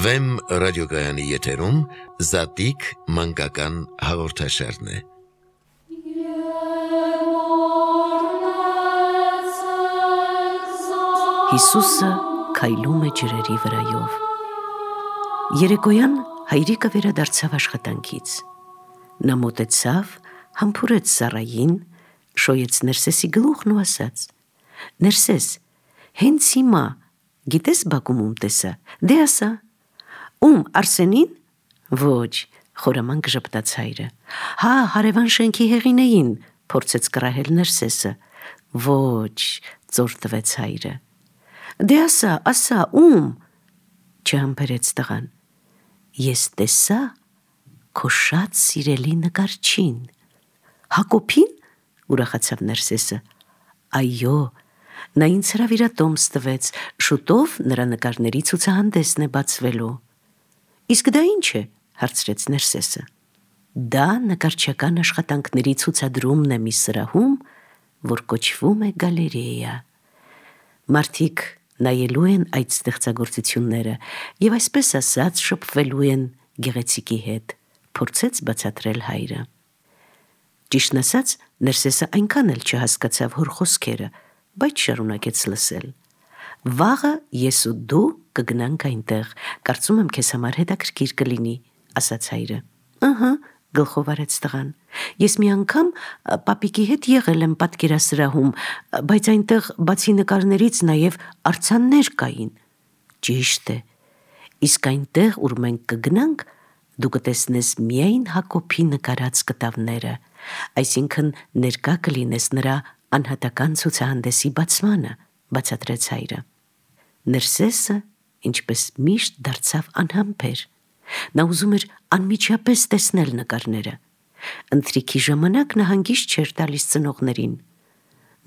Վեմ ռադիոգայանի եթերում Զատիկ մանկական հաղորդաշարն է։ Հիսուսը քայլում է ջրերի վրայով։ Երեկոյան հայրիկը վերադարձավ աշխատանքից։ Նա մոտեցավ, համբուրեց Սարային, շոյեց Ներսեսի գլուխն ու ասաց. «Ներսես, հենց հիմա, գիտես բակում ում տեսա, դե ասա»։ Ում, Արսենին։ Ոչ, խորամանկ ժպտաց հայրը։ Հա, հարևան շենքի հեղինեին, փորձեց կռահել Ներսեսը։ Ոչ, ծոր տվեց հայրը։ Դե ասա, ում, չհամբերեց տղան։ Ես տեսա քո շատ սիրելի նկարչին։ Հակոբին, ուրախացավ Ներսեսը։ Այո, նա ինձ հրավիրատոմս տվեց, շուտով նրա նկարների ցուցահանդեսն է բացվելու։ Իսկ դա ինչ է, հարցրեց Ներսեսը։ Դա նկարչական աշխատանքների ցուցադրումն է մի սրահում, որ կոչվում է գալերեա։ Մարդիկ նայելու են այդ ստեղծագործությունները եւ այսպես ասած շփվելու են գեղեցիկի հետ, փորձեց բացատրել հայրը։ Ճիշտն ասած, Ներսեսը այնքան էլ չհասկացավ հոր խոսքերը, բայց շարունակեց լսել։ Վաղը ես ու դու կգնանք այնտեղ, կարծում եմ քեզ համար հետաքրքիր կլինի, ասաց հայրը։ Ահա, գլխով արեց տղան։ Ես մի անգամ պապիկի հետ եղել եմ պատկերասրահում, բայց այնտեղ բացի նկարներից նաև արձաններ կային։ Ճիշտ է։ Իսկ այնտեղ, ուր մենք կգնանք, դու կտեսնես միայն Հակոբի նկարած կտավները, այսինքն ներկա կլինես նրա անհատական ցուցահանդեսի բացմանը, բացատրեց հայրը։ Ներսեսը, ինչպես միշտ, դարձավ անհամբեր։ Նա ուզում էր անմիջապես տեսնել նկարները։ Ընթրիքի ժամանակ նա հանգիստ չէր տալիս ծնողներին։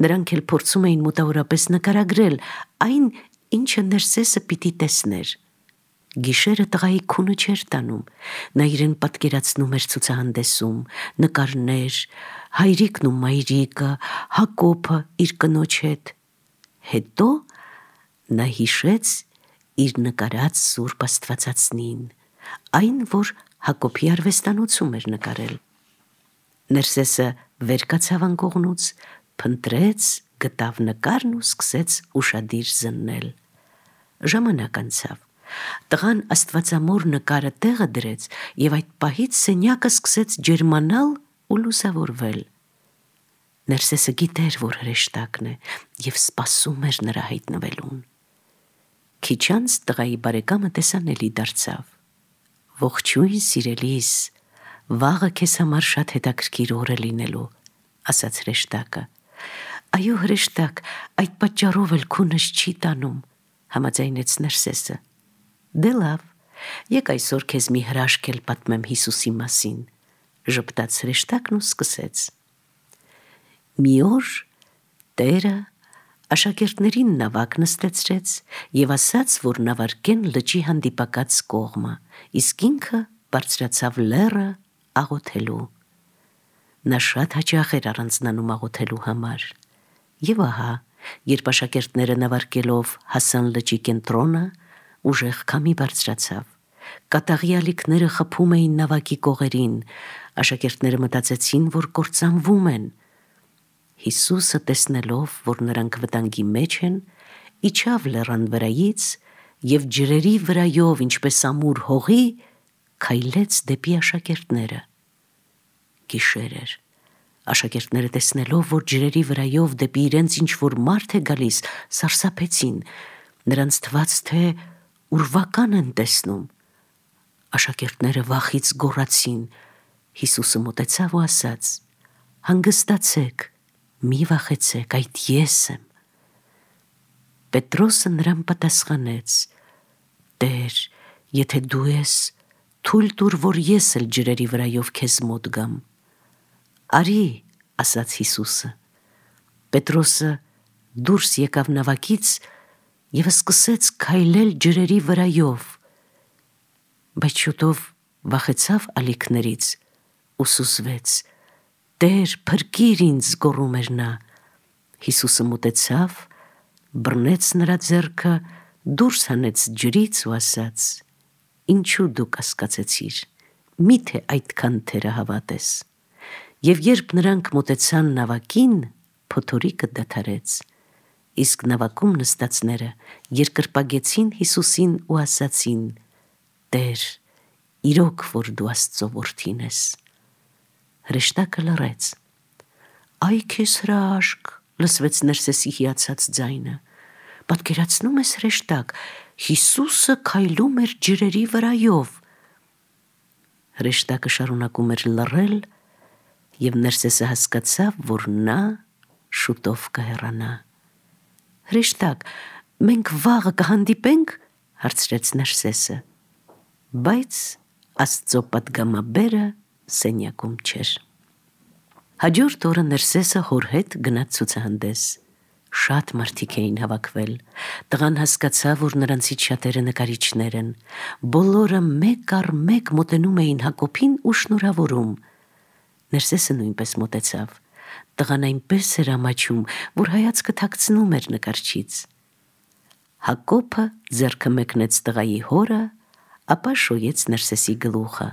Նրանք էլ փորձում էին մոտավորապես նկարագրել այն, ինչը Ներսեսը պիտի տեսներ։ Գիշերը տղայի քունը չէր տանում, նա իրեն պատկերացնում էր ցուցահանդեսում, նկարներ, հայրիկն ու մայրիկը, Հակոբը իր կնոջ հետ։ Հետո նա հիշեց իր նկարած Սուրբ Աստվածածնին, այն, որ Հակոբի արվեստանոցում էր նկարել։ Ներսեսը վեր կացավ անկողնուց, փնտրեց, գտավ նկարն ու սկսեց ուշադիր զննել։ Ժամանակ անցավ։ Տղան աստվածամոր նկարը տեղը դրեց եւ այդ պահից սենյակը սկսեց ջերմանալ ու լուսավորվել։ Ներսեսը գիտեր, որ հրեշտակն է եւ սպասում էր նրա հայտնվելուն։ Քիչ անց տղայի բարեկամը տեսանելի դարձավ։ Ողջույն սիրելիս, վաղը քեզ համար շատ հետաքրքիր օր է լինելու, ասաց հրեշտակը։ Այո, հրեշտակ, այդ պատճառով էլ քունս չի տանում, համաձայնեց Ներսեսը։ Դե լավ, եկ այսօր քեզ մի հրաշք էլ պատմեմ Հիսուսի մասին, ժպտաց հրեշտակն ու սկսեց։ Մի օր Տերը աշակերտներին նավակ նստեցրեց եւ ասաց, որ նավարկեն լճի հանդիպակաց կողմը, իսկ ինքը բարձրացավ լեռը աղոթելու։ Նա շատ հաճախ էր առանձնանում աղոթելու համար։ Եվ ահա, երբ աշակերտները նավարկելով հասան լճի կենտրոնը, ուժեղ քամի բարձրացավ։ Կատաղի ալիքները խփում էին նավակի կողերին, աշակերտները մտածեցին, որ կործանվում են։ Հիսուսը տեսնելով, որ նրանք վտանգի մեջ են, իջավ լեռան վրայից եւ ջրերի վրայով, ինչպես ամուր հողի, քայլեց դեպի աշակերտները։ Գիշեր էր։ Աշակերտները տեսնելով, որ ջրերի վրայով դեպի իրենց ինչ-որ մարդ է գալիս, սարսափեցին։ Նրանց թվաց, թե ուրվական են տեսնում։ Աշակերտները վախից գոռացին։ Հիսուսը մոտեցավ ու ասաց. «Հանգստացեք, մի վախեցեք, այդ ես եմ»։ Պետրոսը նրան պատասխանեց. «Տեր, եթե դու ես, թույլ տուր, որ ես էլ ջրերի վրայով քեզ մոտ գամ»։ «Արի», ասաց Հիսուսը։ Պետրոսը դուրս եկավ նավակից եւ սկսեց քայլել ջրերի վրայով, բայց շուտով վախեցավ ալիքներից ու սուզվեց։ «Տեր, փրկիր ինձ», գոռում էր նա։ Հիսուսը մոտեցավ, բռնեց նրա ձեռքը, դուրս հանեց ջրից ու ասաց. ինչու դու կասկածեցիր, միթե այդքան թերահավատ ես։ Եվ երբ նրանք մոտեցան նավակին, փոթորիկը դադարեց, իսկ նավակում նստածները երկրպագեցին Հիսուսին ու ասացին. «Տեր, իրոք որ դու Աստծո որդին ես»։ Հրեշտակը լռեց։ «Այ քեզ հրաշք», լսվեց Ներսեսի հիացած ձայնը։ «Պատկերացնում ես, հրեշտակ, Հիսուսը քայլում էր ջրերի վրայով»։ Հրեշտակը շարունակում էր լռել, և Ներսեսը հասկացավ, որ նա շուտով կհեռանա։ «Հրեշտակ, մենք վաղը կհանդիպե՞նք», հարցրեց Ներսեսը։ Բայց Աստծո պատգամաբերը սենյակում չէր։ Հաջորդ օրը Ներսեսը հոր հետ գնաց ցուցահանդես։ Շատ մարդիկ էին հավաքվել։ Տղան հասկացավ, որ նրանցից շատերը նկարիչներ են։ Բոլորը մեկ առ մեկ մոտենում էին Հակոբին ու շնորհավորում։ Ներսեսը նույնպես մոտեցավ։ Տղան այնպես էր ամաչում, որ հայացքը թաքցնում էր նկարչից։ Հակոբը ձեռքը մեկնեց տղայի հորը, ապա շոյեց Ներսեսի գլուխը։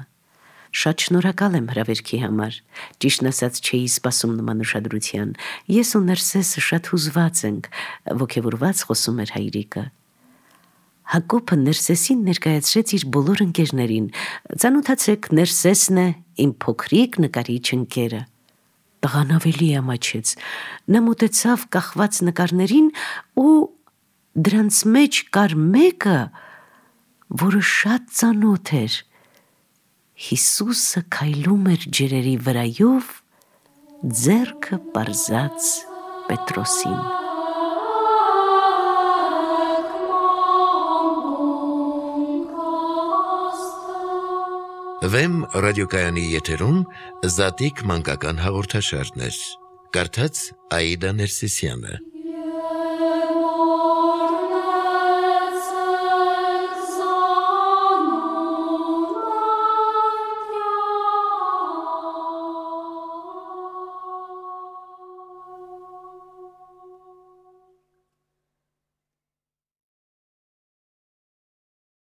«Շատ շնորհակալ եմ հրավերքի համար, ճիշտն ասած չէի սպասում նման ուշադրության, ես ու Ներսեսը շատ հուզված ենք», ոգևորված խոսում էր հայրիկը։ Հակոբը Ներսեսին ներկայացրեց իր բոլոր ընկերներին։ «Ծանոթացեք, Ներսեսն է, իմ փոքրիկ նկարիչ ընկերը»։ Տղան ավելի ամաչեց։ Նա մոտեցավ կախված նկարներին ու դրանց մեջ կար մեկը, որը շատ ծանոթ էր։ Հիսուսը քայլում էր ջրերի վրայով, ձեռքը պարզած Պետրոսին։ Վեմ ռադիոկայանի եթերում Զատիկ մանկական հաղորդաշարներ։ Կարդաց Աիդա Ներսիսյանը։